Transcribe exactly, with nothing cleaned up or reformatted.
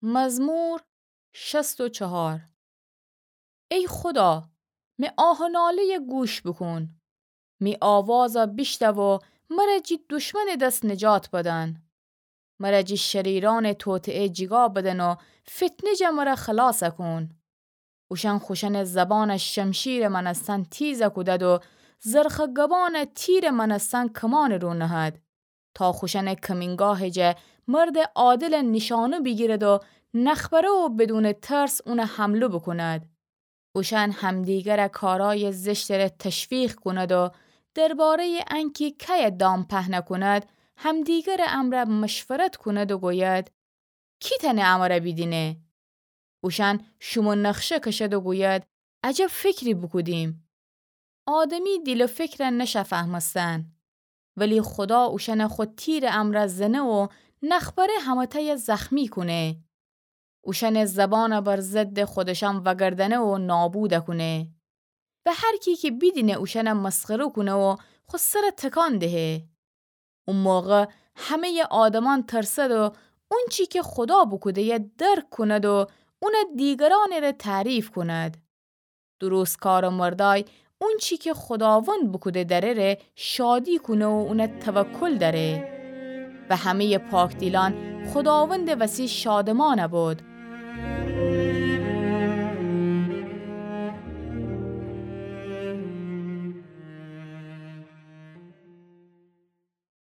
مزمور شصت و چهار. ای خودا، می آه و ناله‌یه گوش بوکون. می آوازه بیشنو و مره جی دشمنٚ دس نجات بدن. مره جی شریرأنٚ توطئه جیگا بدن و فتنه جه مره خلاص کون. اوشأن خوشأنٚ زبانه شمشیرٚ مأنستن تیز کودد و زرخٚ گبانه تیرٚ مأنستن کمانٚ رو نهد، تا خوشأنٚ کمینگاهٚ جه مردٚ عادله نیشأنو بیگیرد و نخبره و بدونٚ ترس اونه حمله بوکوند. اوشأن همدیگره کارأیٚ زشتٚ ره تشویق کونید و درباره‌یٚ انکی کیه دام پهنه کونید، همدیگره امرأ مشورت کونید و گوید: کی تأنه امره بیدینه؟ اوشأن شومو نقشه کشید و گوید: عجب فکری بوکودیم. آدمی دیل و فکره نشه فهمستن، ولی خودا اوشأنه خو تیرٚ امرأ زنه و نخبره همه‌تأیه زخمی کونه. اوشأنٚ زبانه بر ضدٚ خودشأن وگردنه و نابوده کونه. و هر کی کی بیدینه اوشأنه مسخره کونه و خو سره تکان دهه. او موقع همه‌یٚ آدمأن ترسد و اونچی کی خودا بوکوده‌یه درک کونید و اونه دیگرأنٚ ره تعریف کونید. درستکارٚ مردأی اونچی کی خوداوند بوکوده دره ره شادی کونه و اونه توکل دأره. و همه‌یٚ پاکدیلأن خوداوندٚ وسی شادمأن بید.